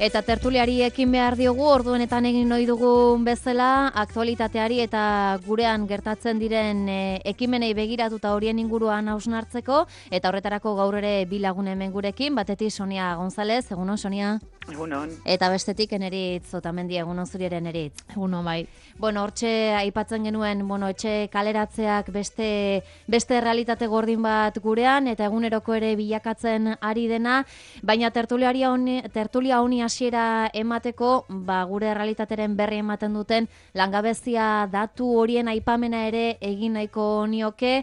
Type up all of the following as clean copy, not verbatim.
Eta tertuliari ekin behar diogu, orduenetan egin ohi dugun bezala, aktualitateari eta gurean gertatzen diren ekimenei begiratuta horien inguruan hausnartzeko, eta horretarako gaur ere bi lagun hemen gurekin, batetik Sonia González, egunon Sonia? Egunon. Eta bestetik Eneritz Otamendi, egunon zuri ere Eneritz. Egunon bai. Bueno, hortxe aipatzen genuen, etxe kaleratzeak beste realitate gordin bat gurean, eta eguneroko ere bilakatzen ari dena, baina tertulia honi hasiera emateko, gure realitateren berri ematen duten langabezia datu horien aipamena ere egin nahiko nioke,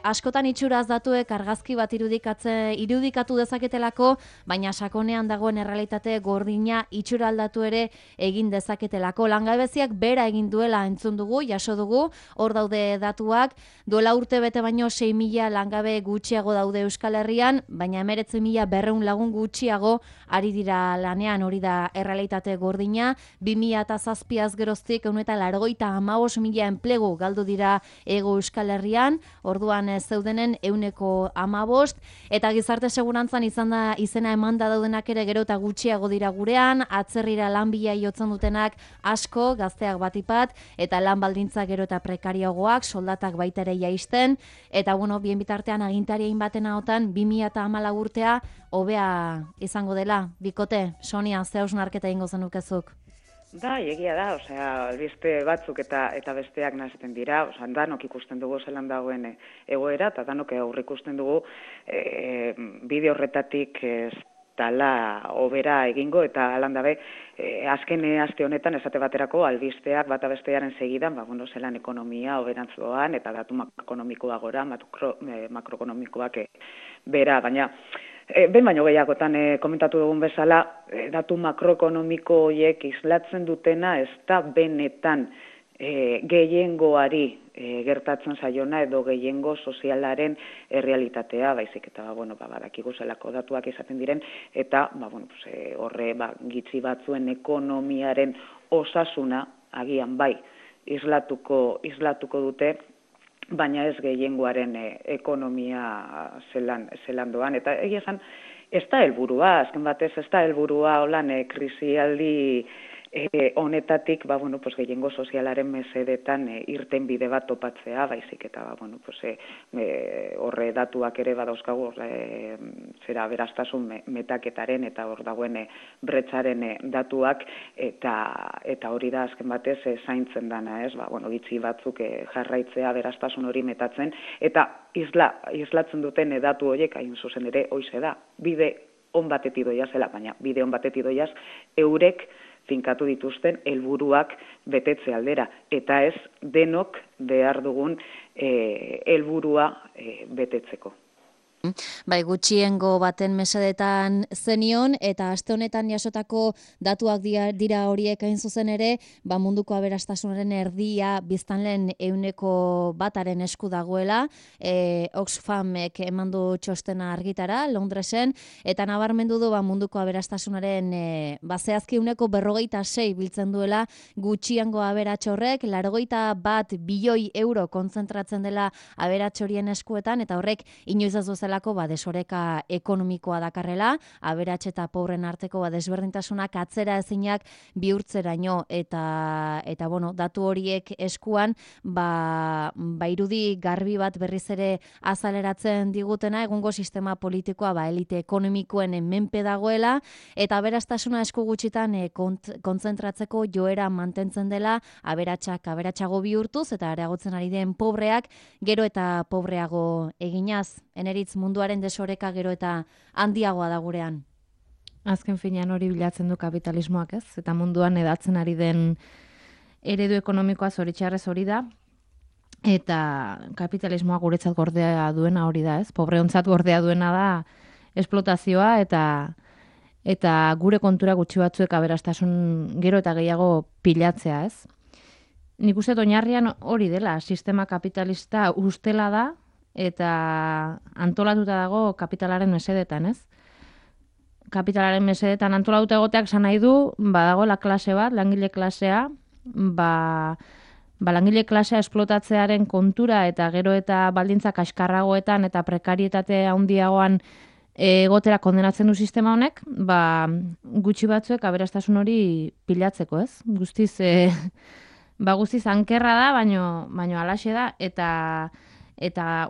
askotan itxuraz datuek argazki bat irudikatu dezaketelako, baina sakonean dagoen errealitate gordina itxura aldatu ere egin dezaketelako. Langabeziak bera egin duela entzun dugu, jaso dugu, hor daude datuak, duela urte bete baino 6.000 langabe gutxiago daude Euskal Herrian, baina 19.200 lagun gutxiago ari dira lanean, hori da errealitate gordina, 2007az geroztik 185.000 enplegu galdu dira Hego Euskal Herrian, orduan zeudenen 115, eta gizarte segurantzan izena emanda daudenak ere gero eta gutxiago dira gurean, atzerrira lan bila jotzen dutenak asko, gazteak batipat, eta lan baldintza gero eta prekarioagoak, soldatak baita ere jaisten, eta bien bitartean agintarien baten ahotan 2014 urtea hobea izango dela. Bikote, Sonia, ze hausnarketa egingo zenukezuk? Egia da, albiste batzuk eta besteak nahazten dira, danok ikusten dugu zelan dagoen egoera, eta danok aurreikusten dugu bide horretatik ez dala hobera egingo, eta alan dabe, azken aste honetan esate baterako albisteak bata bestearen segidan, zelan ekonomia hoberantz doan, eta datu makroekonomikoa gora, makroekonomikoak bera, baina ben baino gehiagotan komentatu dugun bezala, datu makroekonomiko horiek islatzen dutena ez da benetan gehiengoari gertatzen zaiona edo gehiengo sozialaren errealitatea, baizik eta badakigu zelako datuak izaten diren, eta horre gitzi batzuen ekonomiaren osasuna agian bai islatuko dute, baina ez gehiengoaren ekonomia zelan doan. Eta egia esan, ez da helburua, azken batez ez da helburua holan krisialdi honetatik gehiengo sozialaren mesedetan irten bide bat topatzea, baizik eta horre datuak ere badauzkagu zera beraztasun metaketaren eta hor dagoen bretzaren datuak, eta hori da azken batez zaintzen dana, gitzi batzuk jarraitzea beraztasun hori metatzen, eta islatzen duten datu horiek hain zuzen ere hoize da, bide on batetik doia zela, baina bide on batetik doiaz eurek finkatu dituzten helburuak betetze aldera, eta ez denok behar dugun helburua betetzeko. Bai, gutxiengo baten mesedetan zenion, eta aste honetan jasotako datuak dira horiek hain zuzen ere, munduko aberastasunaren erdia biztanleen 1% esku dagoela, Oxfamek emandu txostena argitara, Londresen, eta nabarmendu du munduko aberastasunaren zehazki 146 biltzen duela gutxiengo aberats horrek, 81 bilioi euro kontzentratzen dela aberats horien eskuetan, eta horrek inoiz ez duzelako desoreka ekonomikoa dakarrela, aberats eta pobren arteko desberdintasunak atzera ezinak bihurtzeraino, eta datu horiek eskuan irudi garbi bat berriz ere azaleratzen digutena, egungo sistema politikoa elite ekonomikoen menpe dagoela, eta aberastasuna esku gutxitan kontzentratzeko joera mantentzen dela, aberatsago bihurtuz, eta areagotzen ari den pobreak gero eta pobreago eginaz. Eneritz, munduaren desoreka gero eta handiagoa da gurean. Azken finean hori bilatzen du kapitalismoak, ez? Eta munduan edatzen ari den eredu ekonomikoa zoritxarrez hori da, eta kapitalismoa guretzat gordea duena hori da, ez? Pobreontzat gordea duena da esplotazioa, eta gure kontura gutxi batzuek aberastasun gero eta gehiago pilatzea, ez? Nik uste oinarrian hori dela, sistema kapitalista ustela da, eta antolatuta dago kapitalaren mesedetan, ez? Kapitalaren mesedetan antolatuta egoteak esan nahi du, badagoela klase bat, langile klasea, langile klasea esplotatzearen kontura eta gero eta baldintza kaskarragoetan eta prekarietate handiagoan egotera kondenatzen du sistema honek, gutxi batzuek aberastasun hori pilatzeko, ez? Guztiz, guztiz ankerra da, baino alaxe da, eta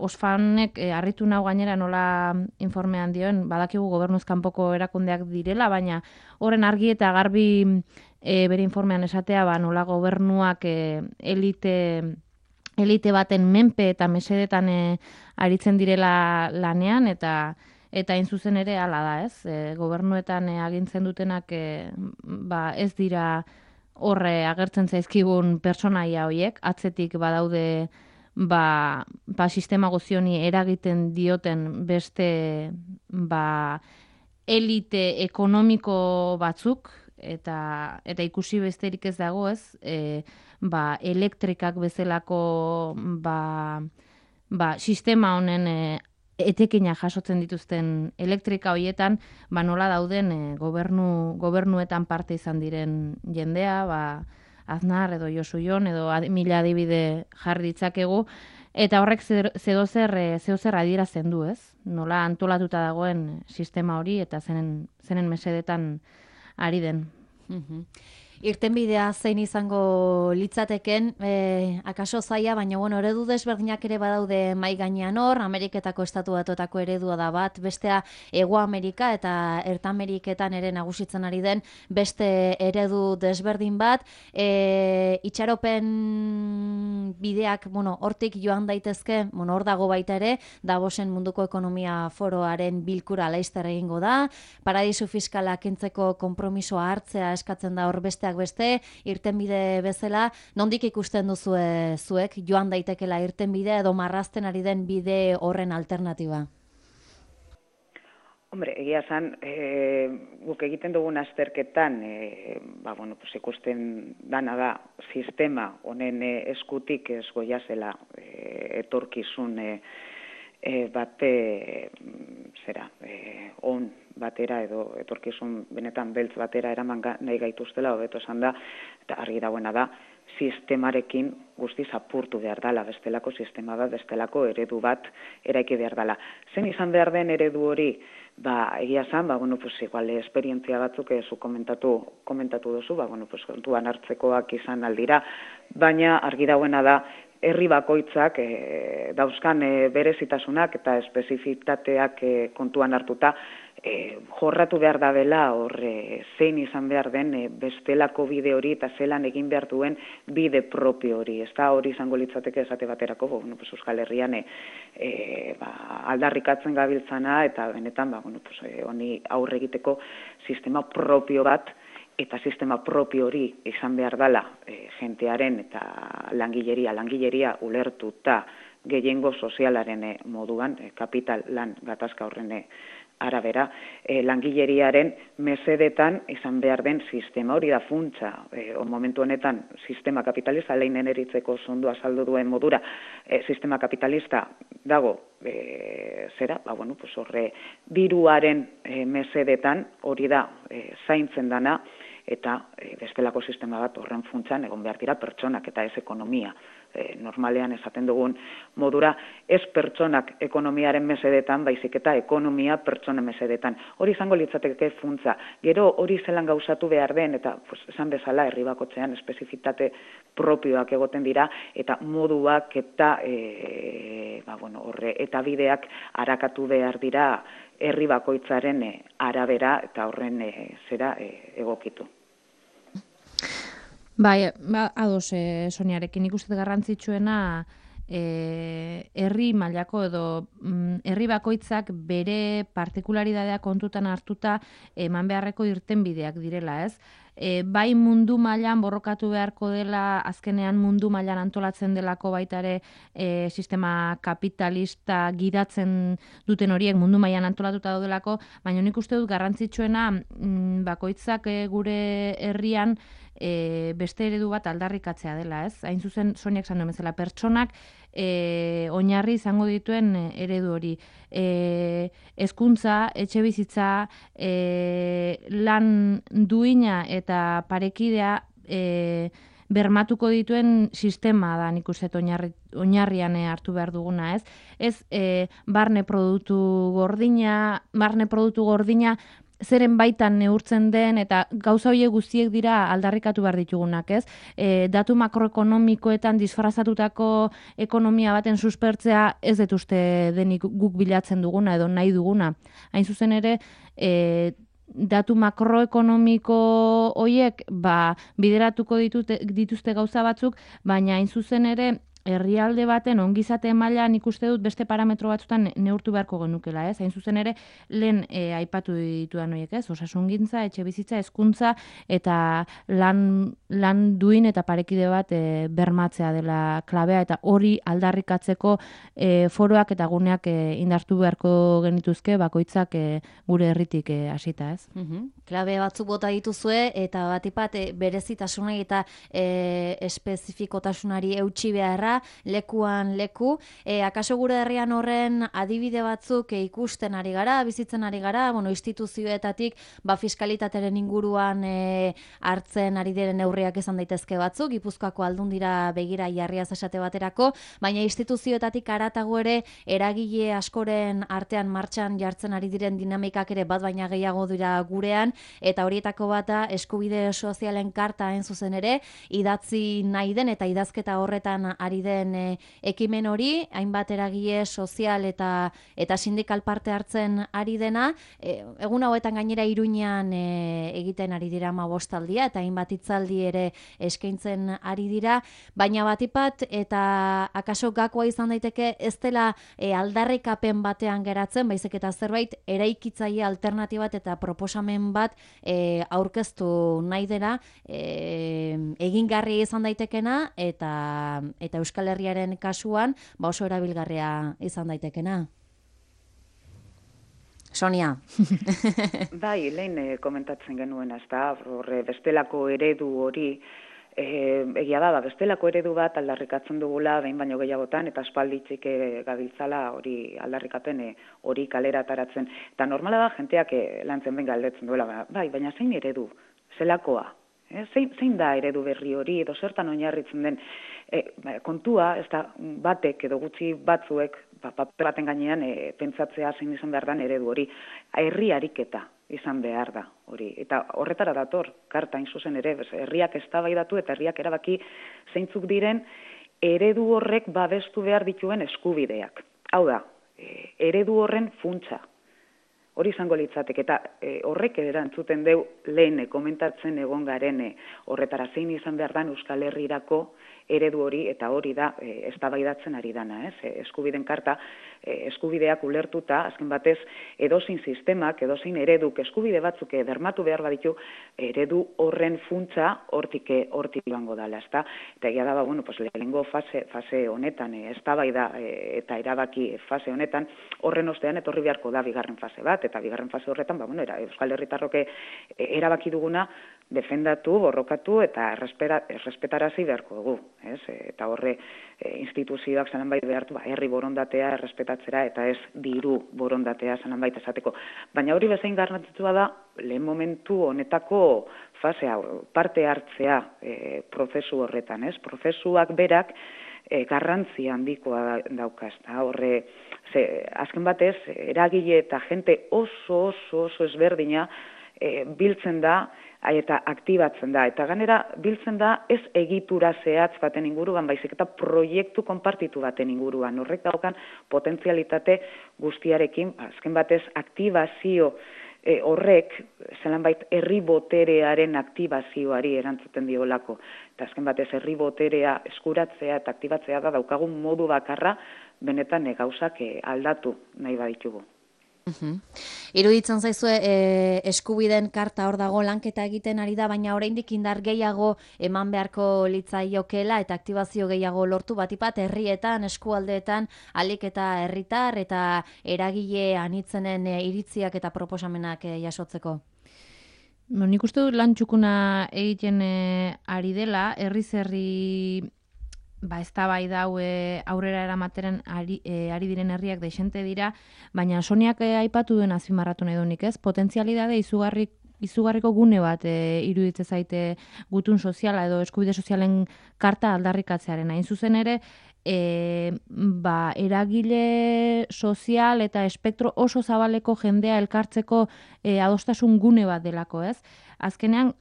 Oxfamek harritu nau gainera nola informean dioen, badakigu gobernuz kanpoko erakundeak direla, baina horren argi eta garbi bere informean esatea, nola gobernuak elite baten menpe eta mesedetan aritzen direla lanean, eta hain zuzen ere hala da, ez? Gobernuetan agintzen dutenak ez dira horre agertzen zaizkigun pertsonaia horiek, atzetik badaude sistema guzioni eragiten dioten beste elite ekonomiko batzuk, eta ikusi besterik ez dago, ez? Elektrikak bezalako sistema honen etekina jasotzen dituzten elektrika horietan, nola dauden gobernuetan parte izan diren jendea, Aznar edo Josu Jon edo mila adibide jarri ditzakegu, eta horrek zeozer adierazten du, ez? Nola antolatuta dagoen sistema hori eta zenen mesedetan ari den. Irtenbidea zein izango litzateken, akaso zaila, baina eredu desberdinak ere badaude mai gainean hor, Ameriketako Estatu Batuetako eredua da bat, bestea Hego Amerika eta Erta Ameriketan ere nagusitzen ari den beste eredu desberdin bat, itxaropen bideak, hortik joan daitezke, hor dago baita ere, Davosen Munduko Ekonomia Foroaren bilkura laizter egingo da, paradisu fiskala kentzeko konpromisoa hartzea eskatzen da hor besteak beste, irtenbide bezala, nondik ikusten duzue zuek, joan daitekela irtenbidea edo marrazten ari den bide horren alternatiba? Hombre, egia esan, guk egiten dugun azterketan, ikusten dana da, sistema honen eskutik ez goiazela etorkizun on batera edo etorkizun benetan beltz batera eraman nahi gaituztela, hobeto esan da, eta argi dagoena da, sistemarekin guztiz apurtu behar dela, bestelako sistema bat, bestelako eredu bat eraiki behar dela. Zen izan behar den eredu hori, egia esan, igual esperientzia batzuk zu komentatu duzu, kontuan hartzekoak izan aldira, baina argi dagoena da, herri bakoitzak dauzkan berezitasunak eta espezifitateak kontuan hartuta jorratu behar da dela zein izan behar den bestelako bide hori eta zelan egin behar duen bide propio hori. Ez da hori izango litzateke esate baterako, Euskal Herrian aldarrikatzen gabiltzana eta benetan honi aurre egiteko sistema propio bat, eta sistema propio hori izan behar dela jentearen eta langileria ulertuta gehiengo sozialaren moduan, kapital lan gatazka horren arabera, langileriaren mesedetan izan behar den sistema hori da funtsa. Momentu honetan sistema kapitalista, leinen eritzeko zondu azaldu duen modura, sistema kapitalista dago horre diruaren mesedetan hori da zaintzen dana, eta bestelako sistema bat horren funtsan egon behar dira pertsonak eta ez ekonomia. Normalean esaten dugun modura, ez pertsonak ekonomiaren mesedetan, baizik eta ekonomia pertsonen mesedetan. Hori izango litzateke funtsa. Gero hori zelan gauzatu behar den, eta esan bezala herri bakotzean espezifitate propioak egoten dira, eta moduak eta eta bideak arakatu behar dira herri bakoitzaren arabera eta horren egokitu. Ados, Soniarekin ikusten garrantzitsuena herri mailako edo herri bakoitzak bere partikularidadea kontutan hartuta eman beharreko irtenbideak direla, ez? Bai mundu mailan borrokatu beharko dela, azkenean mundu mailan antolatzen delako baita ere sistema kapitalista gidatzen duten horiek mundu mailan antolatuta daudelako, baina nik uste dut garrantzitsuena bakoitzak gure herrian beste eredu bat aldarrikatzea dela, ez? Hain zuzen, Soniak esan duen bezala, pertsonak oinarri izango dituen eredu hori. Hezkuntza, etxebizitza, lan duina eta parekidea bermatuko dituen sistema da, nik uste oinarrian hartu behar duguna, ez? Ez barne produktu gordina zeren baitan neurtzen den, eta gauza horiek guztiek dira aldarrikatu behar ditugunak, ez? Datu makroekonomikoetan disfrazatutako ekonomia baten suspertzea ez dut uste denik guk bilatzen duguna edo nahi duguna. Hain zuzen ere, datu makroekonomiko horiek bideratuko dituzte gauza batzuk, baina hain zuzen ere herrialde baten ongizate mailan ikuste dut beste parametro batzutan neurtu beharko genukela, ez? Hain zuzen ere, lehen aipatu ditudan horiek, ez? Osasungintza, etxebizitza, hezkuntza eta lan duin eta parekide bat bermatzea dela klabea, eta hori aldarrikatzeko foroak eta guneak indartu beharko genituzke bakoitzak gure herritik hasita, ez? Klabe batzuk bota dituzue eta batipat berezitasunei eta espezifikotasunari eutsi beharra, lekuan leku. Akaso gure herrian horren adibide batzuk ikusten ari gara, bizitzen ari gara, instituzioetatik fiskalitatearen inguruan hartzen ari diren neurriak izan daitezke batzuk, Gipuzkoako Aldundira begira jarriaz esate baterako, baina instituzioetatik haratago ere eragile askoren artean martxan jartzen ari diren dinamikak ere bat baina gehiago dira gurean, eta horietako bata eskubide sozialen karta hain zuzen ere, idatzi nahi den eta idazketa horretan ari den ekimen hori, hainbat eragile sozial eta sindikal parte hartzen ari dena, egun hauetan gainera Iruñean egiten ari dira 15 aldia eta hainbat hitzaldi ere eskaintzen ari dira, baina batipat eta akaso gakoa izan daiteke ez dela aldarrikapen batean geratzen, baizik eta zerbait eraikitzaile alternatibat eta proposamen bat aurkeztu nahi dela, egingarri izan daitekena eta Euskal Herriaren kasuan oso erabilgarria izan daitekena. Sonia. Bai, lehen komentatzen genuen, ez da, bestelako eredu hori, egia da, bestelako eredu bat aldarrikatzen dugula behin baino gehiagotan, eta aspalditzik gabiltzala hori aldarrikapen hori kalera ataratzen. Eta normala da, jenteak lantzen ben galdetzen duela, bai, baina zein eredu, zelakoa? Zein da eredu berri hori, edo zertan oinarritzen den kontua, ez da batek edo gutxi batzuek paper baten gainean pentsatzea zein izan behar den eredu hori. Herri ariketa izan behar da hori. Eta horretara dator, karta hain zuzen ere, herriak eztabaidatu eta herriak erabaki zeintzuk diren eredu horrek babestu behar dituen eskubideak. Hau da, eredu horren funtsa. Hori izango litzateke, eta horrek erantzuten deu lehen komentatzen egon garen horretara zein izan behar dan Euskal Herrirako eredu hori, eta hori da eztabaidatzen ari dana, eskubideen karta, eskubideak ulertuta, azken batez, edozein sistemak, edozein ereduk, eskubide batzuk bermatu behar baditu, eredu horren funtsa hortik joango dela, ezta? Eta egia da, lehenengo fase honetan, eztabaida eta erabaki fase honetan, horren ostean etorri beharko da bigarren fase bat, eta bigarren fase horretan, Euskal Herritarrok erabaki duguna, defendatu, borrokatu eta errespetarazi beharko dugu. Eta horre instituzioak zananbait behartu herri borondatea errespetatzera eta ez diru borondatea zananbait esateko. Baina hori bezain garrantzitsua da lehen momentu honetako fasea, parte hartzea prozesu horretan. Prozesuak berak garrantzia handikoa daukaz. Horre, azken batez, eragile eta jente oso ezberdina biltzen da eta aktibatzen da. Eta ganera biltzen da ez egitura zehatz baten inguruan, baizik eta proiektu konpartitu baten inguruan. Horrek daukan potentzialitate guztiarekin, azken batez aktibazio horrek, zelanbait herri boterearen aktibazioari erantzuten diolako. Eta azken batez herri boterea eskuratzea eta aktibatzea da daukagun modu bakarra benetan gauzak aldatu nahi baditugu. Iruditzen zaizue eskubideen karta hor dago lanketa egiten ari da, baina oraindik indar gehiago eman beharko litzaiokela eta aktibazio gehiago lortu batipat herrietan, eskualdeetan, alik eta herritar eta eragile anitzenen iritziak eta proposamenak jasotzeko. Nik uste dut lan txukuna egiten ari dela, herri eztabaida hau aurrera eramateren ari diren herriak deixente dira, baina Soniak aipatu duen azpimarratu nahi dunik, potentzialidade izugarri izugarriko gune bat iruditzen zaite gutun soziala edo eskubide sozialen karta aldarrikatzearen. Hain zuzen ere, eragile sozial eta espektro oso zabaleko jendea elkartzeko adostasun gune bat delako, ez? Azkenean,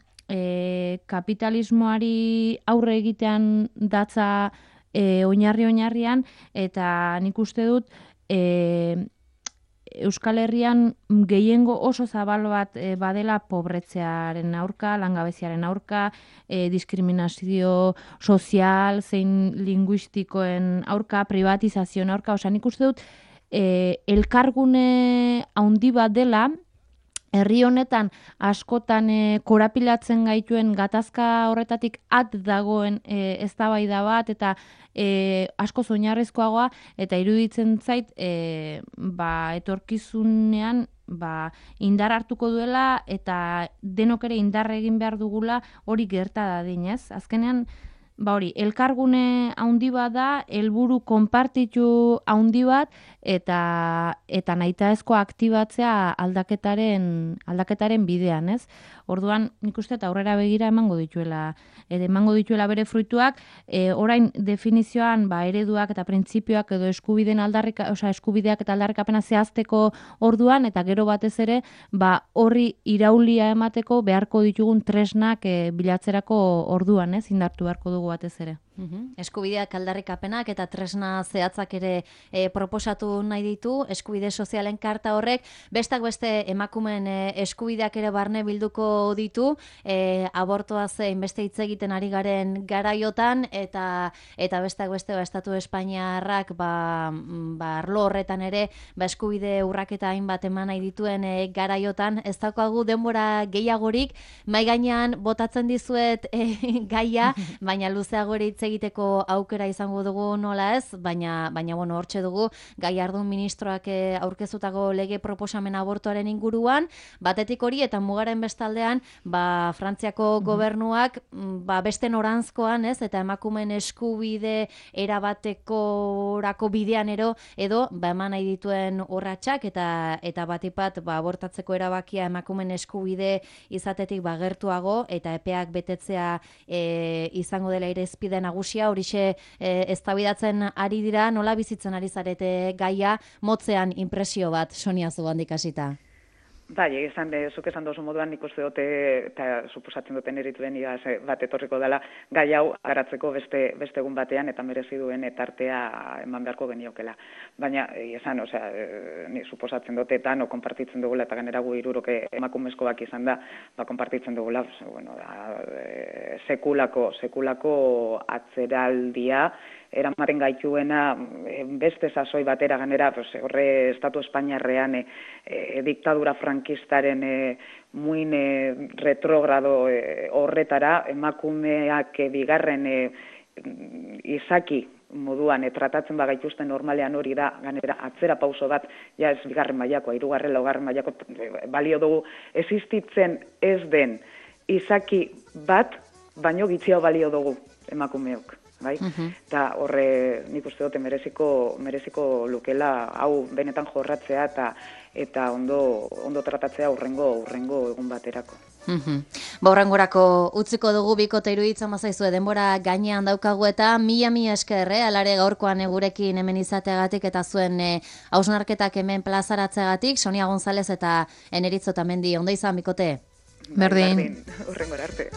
kapitalismoari aurre egitean datza oinarrian, eta nik uste dut Euskal Herrian gehiengo oso zabal bat badela pobretzearen aurka, langabeziaren aurka, diskriminazio sozial, zein linguistikoen aurka, privatizazioen aurka, nik uste dut elkargune handi bat dela, herri honetan askotan korapilatzen gaituen gatazka horretatik dagoen eztabaida bat eta asko oinarrizkoagoa eta iruditzen zait etorkizunean indar hartuko duela eta denok ere indar egin behar dugula hori gerta dadin, ez? Azkenean elkargune handi bat da, helburu konpartitu handi bat, eta nahitaezko aktibatzea aldaketaren bidean, ez? Orduan, nik uste eta aurrera begira emango dituela bere fruituak, orain definizioan ereduak eta printzipioak edo eskubideak eta aldarrikapena zehazteko orduan, eta gero batez ere, horri iraulia emateko beharko ditugun tresnak bilatzerako orduan, ez? Indartu beharko dugu batez ere. Eskubideak aldarrikapenak eta tresna zehatzak ere proposatu nahi ditu, eskubide sozialen karta horrek, bestak beste emakumeen eskubideak ere barne bilduko ditu, abortoa zein beste hitz egiten ari garen garaiotan, eta bestak beste estatu espainiarrak arlo horretan ere eskubide urraketa hainbat eman nahi dituen garaiotan, ez daukagu denbora gehiagorik, mai gainean botatzen dizuet gaia, baina luzeagori hitz egiteko aukera izango dugu nola ez, baina hortxe dugu Gallardón ministroak aurkezutako lege proposamen abortuaren inguruan, batetik hori eta mugaren bestaldean, Frantziako gobernuak beste noranzkoan, ez, eta emakumeen eskubide erabatekorako bidean edo eman nahi dituen urratsak eta batipat abortatzeko erabakia emakumeen eskubide izatetik gertuago eta epeak betetzea izango dela irizpide nagusia, horixe eztabaidatzen ari dira, nola bizitzen ari zarete gaia, motzean inpresio bat, Sonia Zubandik hasita. Bai, zuk esan dozu moduan nik uste dute, eta suposatzen duten erituen bat etorriko dela gai hau garatzeko beste egun batean eta merezi duen tartea eman beharko geniokela. Baina, esan, ni suposatzen dute eta no konpartitzen dugula eta gainera gu hiruroke emakumezkoak izan da, konpartitzen dugula, sekulako atzeraldia, eramaten gaituena beste sasoi batera ganera, horre Estatu Espainiarrean diktadura frankistaren muin retrogrado horretara, emakumeak bigarren izaki moduan tratatzen bagaituzten normalean hori da, ganera atzera pauso bat, ja ez bigarren mailakoa, hirugarren, laugarren mailako balio dugu, existitzen ez den izaki bat, baino gitziago balio dugu emakumeok. Bai? Eta horre nik uste dute mereziko lukela hau benetan jorratzea eta ondo tratatzea urrengo egun baterako. Horrengorako utziko dugu bikote iruditzen bazaizue denbora gainean daukagu eta mila esker, alare gaurkoan gurekin hemen izateagatik eta zuen hausnarketak hemen plazaratzeagatik, Sonia González eta Eneritz Otamendi, ondo izan bikote? Berdin. Urrengora arte.